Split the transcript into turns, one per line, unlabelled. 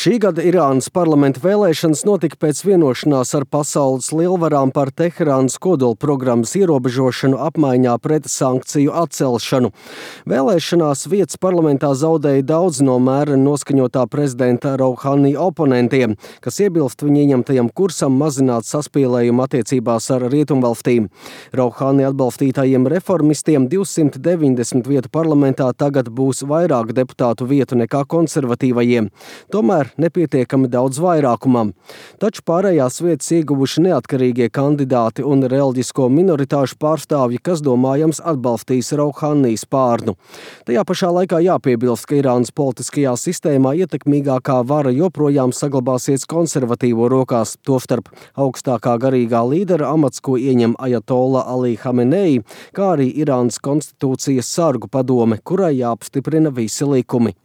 Šī gada Irānas parlamenta vēlēšanas notika pēc vienošanās ar pasaules lielvarām par Teherānas kodolprogrammas ierobežošanu apmaiņā pret sankciju atcelšanu. Vēlēšanās vietas parlamentā zaudēja daudz no mēreni noskaņotā prezidenta Rouhani oponentiem, kas iebilst viņa ieņemtajam kursam mazināt saspīlējumu attiecībās ar rietumvalstīm. Rouhani atbalstītajiem reformistiem 290 vietu parlamentā tagad būs vairāk deputātu vietu nekā konservatīvajiem. Tomēr nepietiekami daudz vairākumam. Taču pārējās vietas ieguvuši neatkarīgie kandidāti un reliģisko minoritāšu pārstāvji, kas domājams atbalstīs Rouhani spārnu. Tajā pašā laikā jāpiebilst, ka Irānas politiskajā sistēmā ietekmīgākā vara joprojām saglabāsies konservatīvo rokās, tostarp augstākā garīgā līdera amats, ko ieņem Ajatolla Ali Hamenei, kā arī Irānas konstitūcijas sargu padome, kurai jāapstiprina visi likumi.